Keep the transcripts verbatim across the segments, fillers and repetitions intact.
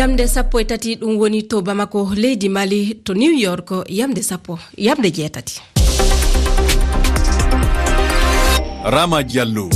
Yamde sappo e tati, ɗum woni to Bamako, leydi Mali, to New York, yamde sappo, yamde jeetati. Rama Diallo.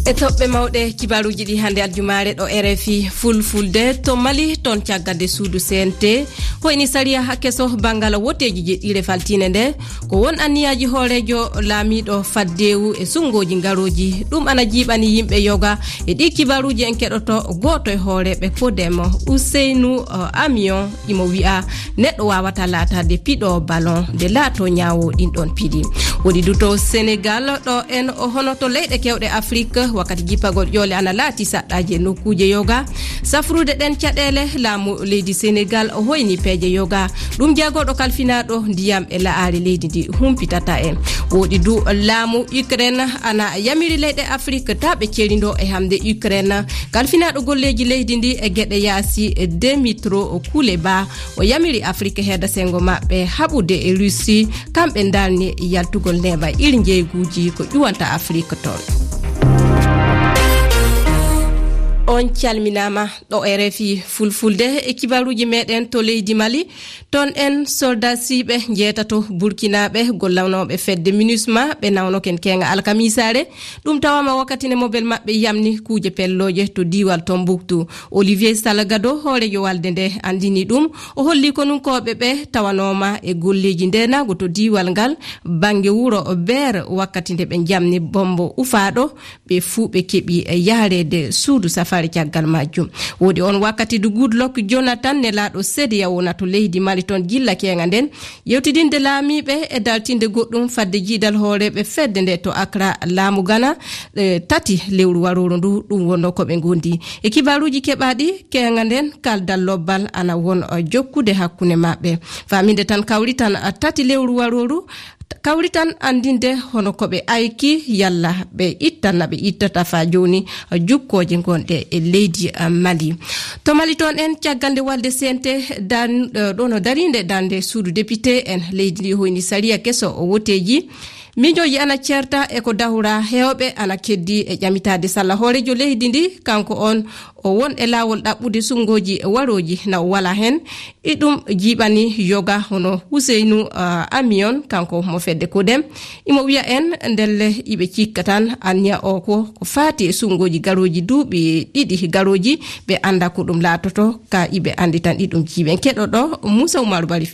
E toɓɓe mawɗe kibaruuji ɗi hannde aljumaare ɗo R F I Fulfulde. To Mali, toon caggal nde suudu C N T hoyni sariya keso banngal woteeji jeɗɗiire faltiinde nde, ko won anniyaaji hooreejo laamiiɗo faddeewu e sunngooji ngarooji. Ɗum ana jiiɓani yimɓe yoga. E ɗi kibaruuji en keɗoto gooto e hooreeɓe Kodem, Ousseynou, eh, Amion, imo wi'a neɗɗo waawata laataade piɗo ballon nde laato ñaawo ɗin ɗon piɗi. Woɗi du to Senegal, ɗo en o hono to leyɗe kewɗe Afrik, wakkati jippagol ƴoole ana laati saɗɗaaji e nokkuuje yoga. Safrude ɗen caɗeele, laamu leydi Senegal o hoyni peeje yoga. Ɗum jagorɗo kalfinaaɗo ndiyam e la'aare leydi ndi humpitata en. Woɗi du laamu Ukraine ana yamiri leyɗe Afrik taa ɓe cerindo e hamde Ukraine. Kalfinaaɗo golleeji leydi ndi e geɗe yaasi, Demitro Kuleba, o yamiri Afrik heeda senngo maɓɓe haɓude e Russie, kamɓe ndarni yaltugol neeɓa ir njeyguuji ko ƴuwanta Afrik toon. On calminaama ɗo R F I Fulfulde e kibaruuji meɗen to leydi Mali. Toon en soldasiiɓe njeetato Burkinaaɓe gollanooɓe fedde MINUSMA ɓe nawnoken keeŋa alkamiisaare. Ɗum tawaama wakkati nde mobel maɓɓe yamni kuuje pellooje to diiwal Tombuktu. Olivier Salgado, hooreejo walde nde, anndini ɗum. O holli konunkooɓe ɓe tawanooma e golleeji ndeenaagu to diiwal ngal, bannge wuro Beer, wakkati nde ɓe njamni bombo ufaaɗo, ɓe fuu ɓe keɓi yahreede suudu safaari caggal majjum. Woodi on wakkati du Goodluck Jonathan, nelaaɗo sedeyawo na to leydi Mali toon gilla keeŋa nden, yewtidinde laamiiɓe e daltinde goɗɗum fadde jiidal hooreeɓe fedde nde to Accra, laamu Ghana, eh, tati lewru warooru ndu, ɗum wonno ko ɓe ngondi. E kibaaruuji keɓaaɗi, keeŋa nden kaldal lobbal ana won, eh, jokkude hakkunde maɓɓe. Faaminde tan kawritan, eh, tati lewru warooru, kawritan anndinde hono ko ɓe ayki yalla ɓe ittan na ɓe ittata faa jooni, eh, jukkooje ngonɗe e leydi, eh, Mali. To Mali toon en, caggal nde walde C N T dan-, eh, ɗo no dariinde darnde suudu député en leydi ndi hoyni sariya keso o woteeji. Miijooji ana ceerta e ko dahora, heewɓe ana keddi e ƴamitaade salla hooreejo leydi ndi, kanko on o won e laawol ɗaɓɓude sunngooji warooji na o wala heen. E ɗum jiiɓani yoga hono Huseynu, ah, Amiyon, kanko mo fedde Kodem. Imo wiya en ndelle iɓe cikka tan anniya o ko, ko faati e sunngooji garooji duuɓi ɗiɗi garooji, ɓe annda ko ɗum laatoto, ka iɓe anndi tan ɗi ɗum jiiɓen. Keɗoɗo Moussa Oumar Bari.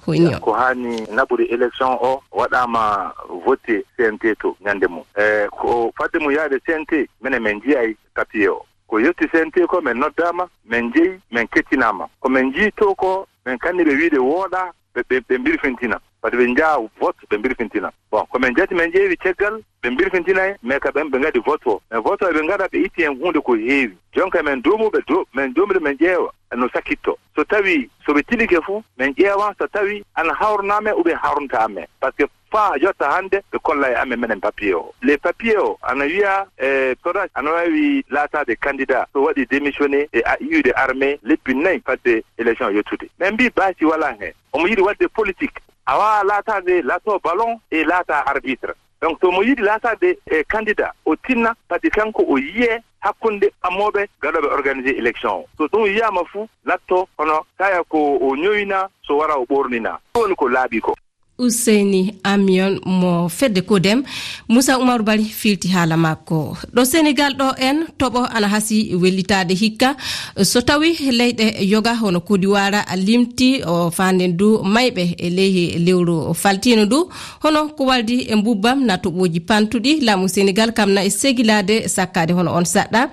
Hoyni o. Ko haani naɓude élection o waɗaama vote C N T to ñande mum. E, ko fadde mum yaade C N T, minen min njiyay papier o. Ko yetti C N T ko, min noddaama, min njeyi, min kettinaama. Ko min njii to ko, min kanni ɓe wiide wooɗa, ɓe, ɓe, ɓe mbirfintina. Fati ɓe njaa vote, ɓe mbirfintina. Bon, ko min njatti, min ƴeewi caggal, ɓe mbirfintinay, mais ka ɓen ɓe ngaɗi vote o. Mais vote o ɓe ngaɗa, ɓe itti hen huunde ko heewi. Jonka min doomuɓe, do-, min doomude, min ƴeewa no sakkitto. So tawi, so ɓe tilike fu, min ƴeewa so tawi ana hawrnaame ou bien hawrntaame. Parce que faa yotta hannde, ɓe kolla e amen menen papier o. Les papiers o, ana wiya, e, Sodac ana waawi laataade candidat so waɗi démissionné e a-, iwde armée lebbi nayi fadde élection yettude. Min mbii baasi walaa hen. Omo yiɗi waɗde politique. A waawaa laataade lato ballon e laata arbitre. Donc, so mo yiɗi laataade, e, candidat, o tinna, fadde kanko o yiyee hakkunde ɓammooɓe gaɗooɓe organiser élection o. So ɗum yiyaama fu, latto hono kaya ko o ñowina, so wara o ɓoornina. Ɗum woni ko laaɓi ko. Useyni Amiyon mo fedde Kodem, Moussa Oumar Bari filti haala makko. Ɗo Senegal ɗo en, toɓo ana hasi wellitaade hikka. So tawi leyɗe yoga hono Kodiwara limti o faanden du mayɓe e leyhi lewru faltiino ndu, hono ko waldi e mbubbam na toɓooji pantuɗi, laamu Senegal kam na e segilaade sakkaade hono on saɗɗa.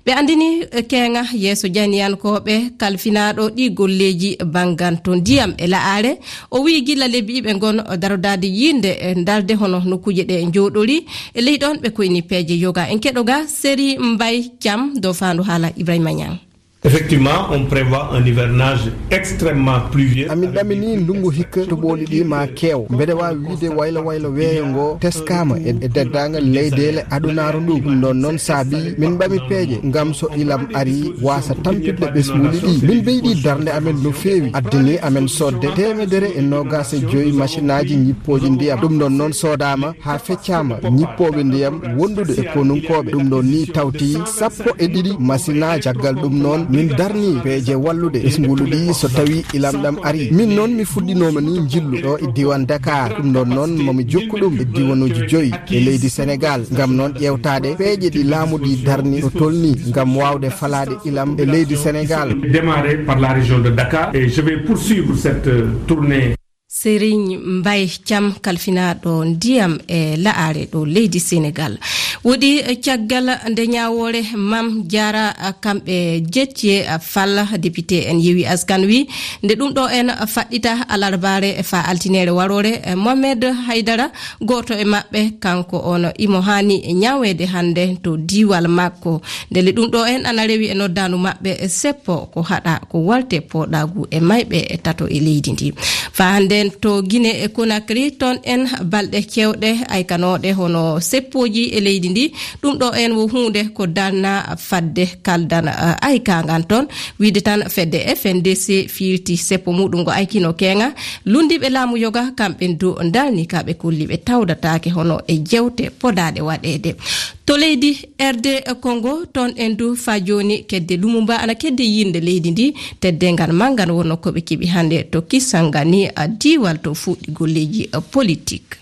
Ɓe anndini, eh, keeŋa yeeso janiyankooɓe kalfinaaɗo ɗi golleeji bannganto ndiyam e la'aare. O wiyi gila lebbi iɓe ngon darodaade yiinde, eh, ndarde hono nokkuuje ɗe njooɗori. E ley ɗon ɓe koyni peeje yoga. En keɗo ga Seri Mbay Cam dow faandu haala Ibrahima Ñang. Effectivement, on prévoit un hivernage extrêmement pluvieux. Amin ɗamini ndungu hikka toɓooli ɗi ma keew. Mbeɗe waawi wiide waylo waylo weeyo ngo teskaama e, e deddaangal leydeele adunaaru ndu. Ɗum ɗon noon saabi min ɓami peeje ngam so ilam ari waasa tampitde ɓesnguuli ɗi. Min ɓeydi darnde amen no feewi. Addani amen sodde teemedere e noogas e joyi masinaaji ñippooji ndiyam. Ɗum ɗon noon soodaama haa feccaama ñippooɓe ndiyam wondude e konunkooɓe. Ɗum ɗon ni tawti sappo e ɗiɗi masinaaji. Caggal ɗum noon, Min darni peeje wallude ɓesngulu ɗi so tawi ilam ɗam ari. Min noon mi fuɗɗinooma ni njillu ɗo e diiwaan Dakar. Ɗum ɗoon noon momi jokku ɗum e diiwanuuji joyi e leydi Senegaal, ngam noon ƴeewtaade peeje ɗi laamu ɗi darni no tolni ngam waawde falaade ilam e leydi Senegaal. Démarrer par la région de Dakar et je vais poursuivre cette, euh, tournée. Serigne Mbaye Thiam, kalfinaaɗo ndiyam e la'are ɗo leydi Senegaal. Woɗi caggal nde ñaawoore Mam Diarra, kamɓe jetti e Fall, député en Yewwi Askan Wi. Nde ɗum ɗo en faɗɗita alarbaare faa altineere waroore, Mohamed Haydara, gooto e maɓɓe, kanko on imo haani ñaaweede hannde to diiwal makko. Ndelle ɗum ɗo en ana rewi e noddaandu maɓɓe seppo ko haɗa ko walte pooɗaagu e mayɓe e tato e leydi ndi. Faa hannden to Guinée e Conakry, toon en balɗe keewɗe aykanooɗe hono seppooji e leydi ndi. Ɗum ɗo en wo huunde ko darna fadde kaldan, eh, aykaangan toon. Wiide tan fedde F N D C firti seppo muɗum ngo aykino keeŋa. Lunndiiɓe laamu yoga kamɓe du darni ka ɓe kolli ɓe tawdataake hono e jewte podaaɗe waɗeede. To leydi R D Congo, toon en du faa jooni kedde Lumumba ana kedde yiilnde leydi ndi, teddeengal manngal wonno ko ɓe keɓi hannde to Kisangani, a diiwal to fuɗɗi golleeji, a, politik.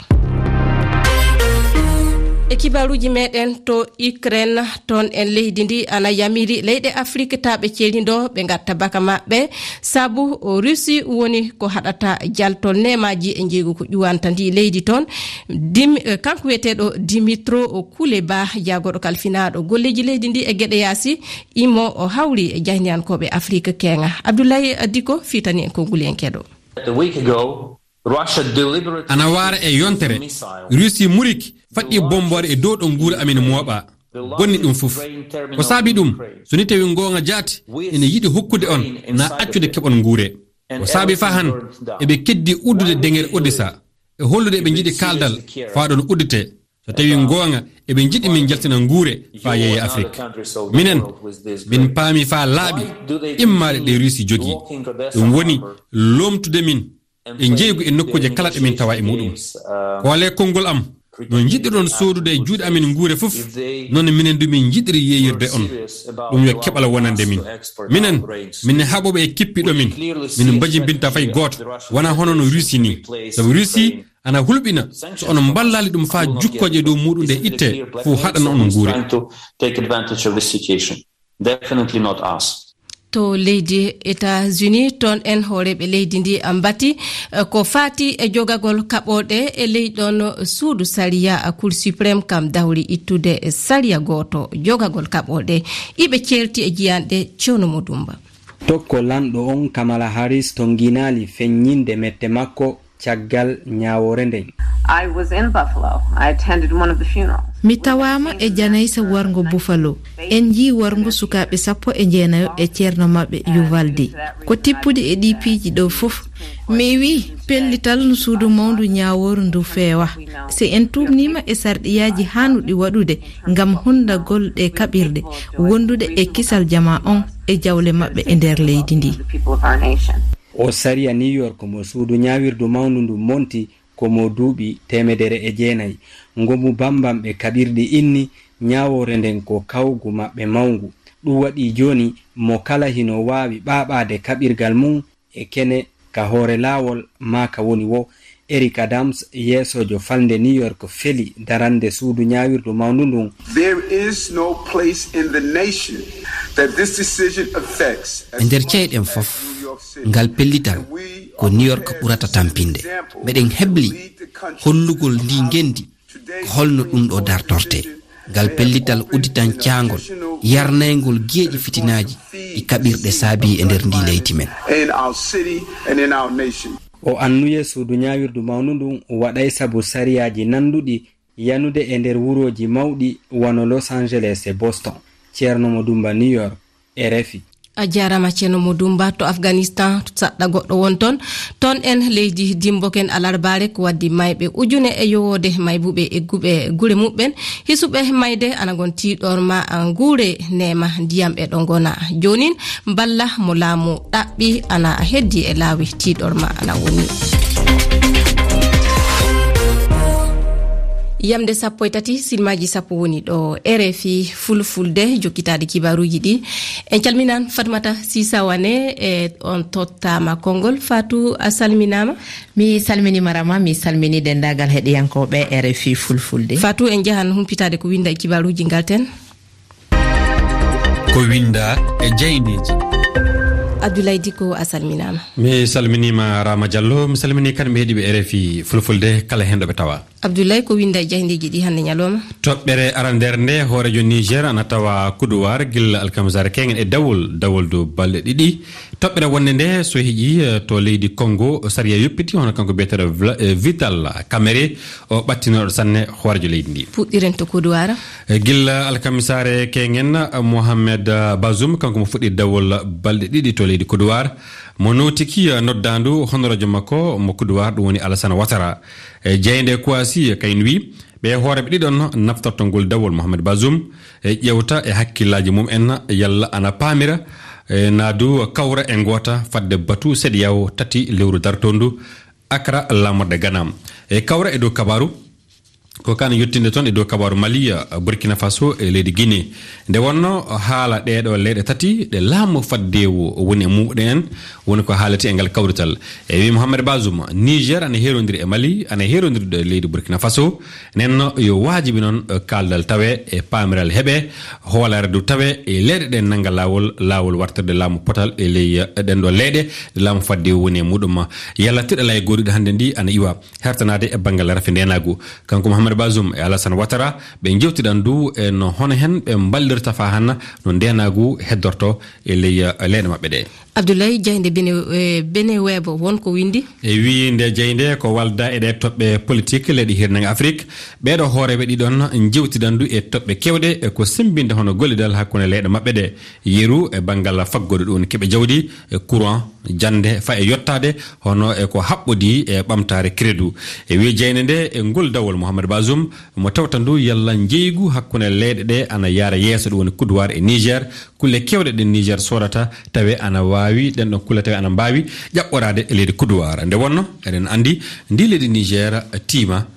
E kibaaruuji meɗen to Ukraine, toon en leydi ndi ana yamiri leyɗe Afrik taa ɓe cerindo ɓe ngatta baka maɓɓe, sabu o Russie woni ko haɗata jaltol neemaaji e njeeygu ko ƴuwanta ndi leydi toon. Dim-, eh, kanko wiyeteeɗo Dimitro Kuleba, jaagorɗo kalfinaaɗo golleeji leydi ndi e geɗe yaasi, imo o hawri e jahniyankooɓe Afrik keeŋa. Abdoulaye Diko fitani en konguliyankeeɗo. A week ago, Russia deliberately Ana waara e yontere, missile. Russie muriki faɗɗi bomboore e dow ɗo nguura amin mooɓa. Bonni ɗum fof. Ko saabi ɗum, so ni tawi ngoonga jaati, ene yiɗi hokkude on na accude keɓon nguure. Ko saabi faa han, eɓe keddi uddude deŋere Odessa, e hollude eɓe njiɗi kaaldal faa ɗon uddite. So tawi ngoonga, eɓe njiɗi min njaltina nguure faa yeeya Afrik. Minen, min paami faa laaɓi immaade ɗe Russie jogii. Ɗum woni loomtude min e njeygu e nokkuuje kala ɗe min tawa e muɗum. Koole konngol am, no njiɗirɗon soodude e juuɗe amin nguure fof, noon minen du min njiɗiri yeeyirde on. Ɗum yo keɓal wonande min. Minen, min haɓooɓe e kippiɗo min. Min mbajimbinta fay gooto, wona hono no Russie ni. Sabu Russie ana hulɓina, so on mballaali ɗum faa jukkooje dow muɗum ɗe itte, fof haɗana on nguure. Definitely not us. To leydi États-Unis, toon en hooreeɓe leydi ndi mbati, eh, ko faati e jogagol kaɓorɗe e ley ɗoon suudu sariya, Cour suprême kam dawri ittude sariya gooto jogagol kaɓorɗe. Iɓe ceerti e jiyanɗe Cewno Mo Dumba. Tokko lanɗo on Kamala Harris tonnginaali feññinde mette makko caggal ñaawoore nden. I was in Buffalo. I attended one of the funerals. Mi tawaama e janaysa warngo Buffalo. En njii warngo sukaaɓe sappo e jeenayo e ceerno maɓɓe Uvalde. Ko tippudi e ɗii piiji ɗo fof. Mi wii pellital no suudu mawndu ñaawooru ndu feewa. Si en tuumniima e sarɗiyaaji haanuɗi waɗude ngam hunndagol ɗe kaɓirɗe, wondude e kisal jamaa on e jawle maɓɓe e nder leydi ndi. O sariya New York mo suudu ñaawirdu mawndu ndu monti ko mo duuɓi teemedere e jeenayi. Ngomu bambamɓe kaɓirɗi inni ñaawoore nden ko kawgu maɓɓe mawngu. Ɗum waɗi jooni mo kala hino waawi ɓaaɓaade kaɓirgal mum e kene ka hoore laawol maa ka woni wo. Eric Adams, yeesoojo falnde New York, feli darande suudu ñaawirdu mawndu ndun. There is no place in the nation that this decision affects. E nder ceyɗen fof, ngal pellital ko New York ɓurata tampinde. Meɗen hebli hollugol ndi ngenndi ko holno ɗum ɗo dartorte. Ngal pellital udditan caangol, yarnayngol geeƴi fitinaaji ɗi kaɓirɗe saabi e nder ndi leydi men. In our city and in our nation. O annuye suudu ñaawirdu mawndu ndun waɗay sabu sariyaaji nanduɗi yanude e nder wurooji mawɗi wano Los Angeles e Boston. Ceerno Mo Dumba, New York, R F I. A jaaraama Ceerno Mo Dumba. To Afganistan, saɗɗa goɗɗo won toon. Toon en leydi dimboken alarbaare ko waddi mayɓe ujune e yowoode, maybuɓe e guɓe gure muɓɓen, hisuɓe mayde ana ngon tiiɗorma nguure neema ndiyam e ɗo ngona. Joonin mballa mo laamu ɗaɓɓi ana heddi e laawi tiiɗorma ana woni. Yamde sappo e tati, silmaaji sappo woni ɗo R F I Fulfulde, jokkitaade kibaaruuji ɗi. En calminaan Fatmata Sisa Wane, e on tottaama konngol. Fatou, a salminaama. Mi salminiima Rama, mi salmini denndaangal heɗiyankooɓe R F I Fulfulde. Fatou, en njahan humpitaade ko winnda e kibaaruuji ngalten. Ko winnda e jaayndeeji. Abdoulaye Dicko, a salminaama. Mi salminiima Rama Diallo, mi salmini kadi ɓe heɗiiɓe R F I Fulfulde, kala heen ɗo ɓe tawa. Abdoulaye, ko winnda e jaayndeeji ɗi hannde ñalawma? Toɓɓere arandeere nde, hooreejo Niger ana tawa Kuduwaar gila alkamisaare keeŋen e dawol, dawol dow balɗe ɗiɗi. Toɓɓere wonnde nde, so heƴii, eh, to leydi Congo, sariya yoppiti, hono kanko biyeteeɗo Vla-, eh, Vital Kamerhe, o ɓattinooɗo sanne hooreejo leydi ndi. Puɗɗiren to Kuduwaar. Eh, gila alkamisaare keeŋen, Mohamed Bazoum, kanko mo fuɗɗi dawol balɗe ɗiɗi to leydi Kuduwaar, mo nootiki, eh, noddaandu honoraajo makko mo Kuduwaar, ɗum woni Alassane Ouattara. E jaaynde Kouassi, eh, kayen wi, ɓe hooreeɓe ɗiɗon naftorto ngol dawol Mohamed Bazoum, e ƴeewta e hakkillaaji mum en yalla ana paamira, e naadu kawra e ngoota fadde batu C D A O tati lewru dartoondu Accra, laamorde Ghana. E kawra e dow kabaaru, ko kan yottinde toon e dow kabaaru Mali, eh, Burkina Faso e leydi Guinée. Nde wonno haala ɗeeɗo leyɗe tati ɗe laamu faddeewu woni e muɗum en, woni ko haalete e ngal kawrital. E wi Mohamed Bazoum, Niger ana heerondiri e Mali, ana heerondiri e leydi Burkina Faso. Nden no yo waajibi noon, eh, kaaldal tawe e paamiral heɓe, hoolaare du tawe e leyɗe ɗen nannga laawol, laawol wartirde laamu potal e ley, eh, ɗen ɗo leyɗe, laamu faddeewu woni e muɗum. Yalla tiɗalaa e gooriɗo hannde ndi ana iwa hertanaade e banngal rafi ndeenaagu. Kanko Mohamed Bazoum e Alassane Ouattara, ɓe njewtidan du e no hono hen ɓe mballirta faa hanna no ndeenaagu heddorto e ley, eh, leyɗe maɓɓe ɗe. Abdoulaye, jaaynde Bene, eh, Bene Webo won ko winndi? E wii nde jaaynde ko walda e ɗe toɓɓe politik leyɗe hirnange Afrik. Ɓeeɗo hooreeɓe ɗiɗon njewtidan du e toɓɓe keewɗe, e ko semmbinde hono gollidal hakkunde leyɗe maɓɓe ɗe. Yeru e banngal faggudu ɗum woni keɓe jawdi, e courant, jannde, faa e yottaade, hono e ko haɓɓodii e ɓamtaare crédit. E wii jaaynde nde, e ngol dawol Mohamed Bazoum, mo tawta ndu yalla njeeygu hakkunde leyɗe ɗe ana yaara yeeso, ɗum woni Kuduwaar e Niger. Kulle keewɗe ɗe Niger soodata, tawe ana waawi, ɗen ɗon kulle tawe ana mbaawi ƴaɓɓoraade e leydi Kuduwaar. Nde wonno, eɗen anndi, ndi leydi Niger tiima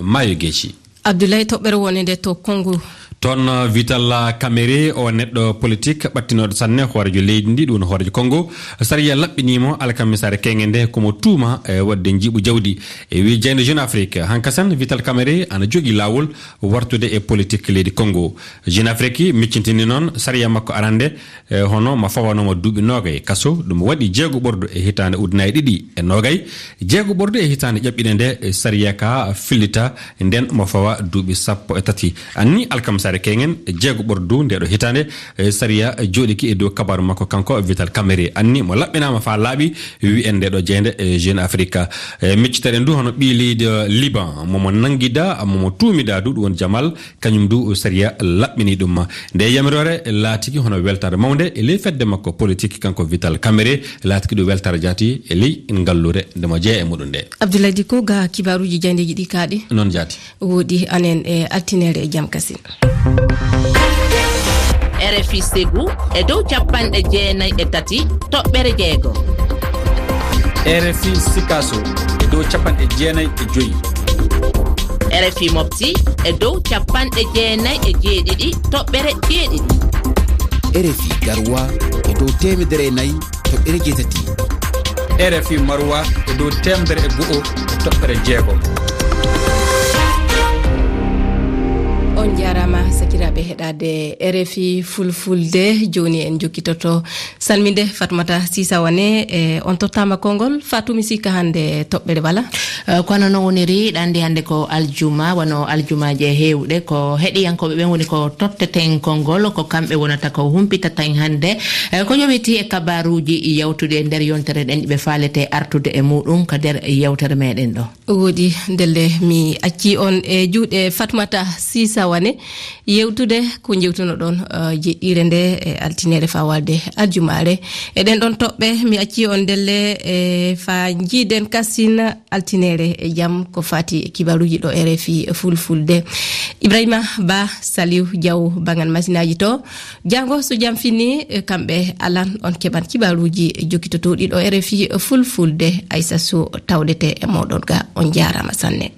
maayo Geeci. Abdoulaye, toɓɓere wonde nde to Congo. Toon, uh, Vital Kamerhe, o neɗɗo politik ɓattinooɗo sanne hooreejo leydi ndi, ɗum woni hooreejo Congo. Sariya laɓɓinii mo alkamisaare keeŋe nde, ko mo tuuma e waɗde njiiɓu jawdi. E wii jaaynde Jeune Afrique, hankasan Vital Kamerhe ana jogii laawol wartude e politik leydi Congo. Jeune Afrique miccintini noon sariya makko arande, e hono mo fawanooma duuɓi noogay kaso, ɗum waɗi jeego ɓordu e hitaande ujunaaji ɗiɗi e noogay, jeego ɓordu e hitaande ƴaɓɓiinde nde, e sariya ka fillita, nden mo fawa duuɓi sappo e tati. Anni alkamisaare keeŋen, jeego ɓordu nde ɗo hitaande, e sariya jooɗiki e dow kabaaru makko kanko Vital Kamerhe. Anni mo laɓɓinaama faa laaɓi, wiyen nde ɗo jeeynde, e Jeune Afrique. E miccitaɗen du hono ɓii leydi Liban, momo nanngida, momo tuumida du, ɗum woni Jamal, kañum du sariya laɓɓini ɗum. Nde yamiroore laatiki hono weltaare mawnde e ley fedde makko politik kanko Vital Kamerhe, laatiki ɗum weltaare jaati e ley ngalluure nde mo jeeya e muɗum nde. Abdoulaye Dicko, ga kibaaruuji jaayndeeji ɗi kaaɗi. Noon jaati. Woodi anen e altine e jam kasin. R F I Ségou e dow capanɗe jeenayi e tati toɓɓere jeego. R F I Sikaso e dow capanɗe jeenayi e joyi. R F I Mopti e dow capanɗe jeenayi e jeeɗiɗi toɓɓere jeeɗiɗi. R F I Garoua e dow teemedere e nayi toɓɓere jeetati. R F I Maroua e dow teemedere e go'o e toɓɓere jeegom. On njaaraama, sakiraaɓe heɗaade R F I Fulfulde. Jooni en njokkitoto salminde Fatmata Sisa Wane, e on tottaama konngol. Fatou, mi sikka hannde toɓɓere wala? Eh, kono no woniri, ɗa anndi hannde ko aljuma, wano aljumaaje heewɗe, ko heɗiyankooɓe ɓen woni ko totteten konngol, ko kamɓe wonata ko humpitata en hannde, eh, ko yowiti e kabaaruuji yawtuɗi e nder yontere ɗen, ɓe faalete artude e muɗum ka nder yewtere meɗen ɗo. Woodi, ndelle mi acci on e juuɗe Fatmata Sisa Wane, yewtude ko jewtunoɗon, eh, jeɗɗiire nde e altinere faa walde aljumaare. E ɗen ɗon toɓɓe, mi acci on ndelle, e faa njiiden kasin altinere e jam ko faati e kibaaruuji ɗo R F I Fulfulde. Ibrahima Ba, Saliou Diaw, banngal masinaaji to. Jaango so jam fini, e kamɓe alan, on keɓan kibaaruuji jokkitotooɗi ɗo R F I Fulfulde. Aissa Sow tawdete e mooɗon ga. On njaaraama sanne.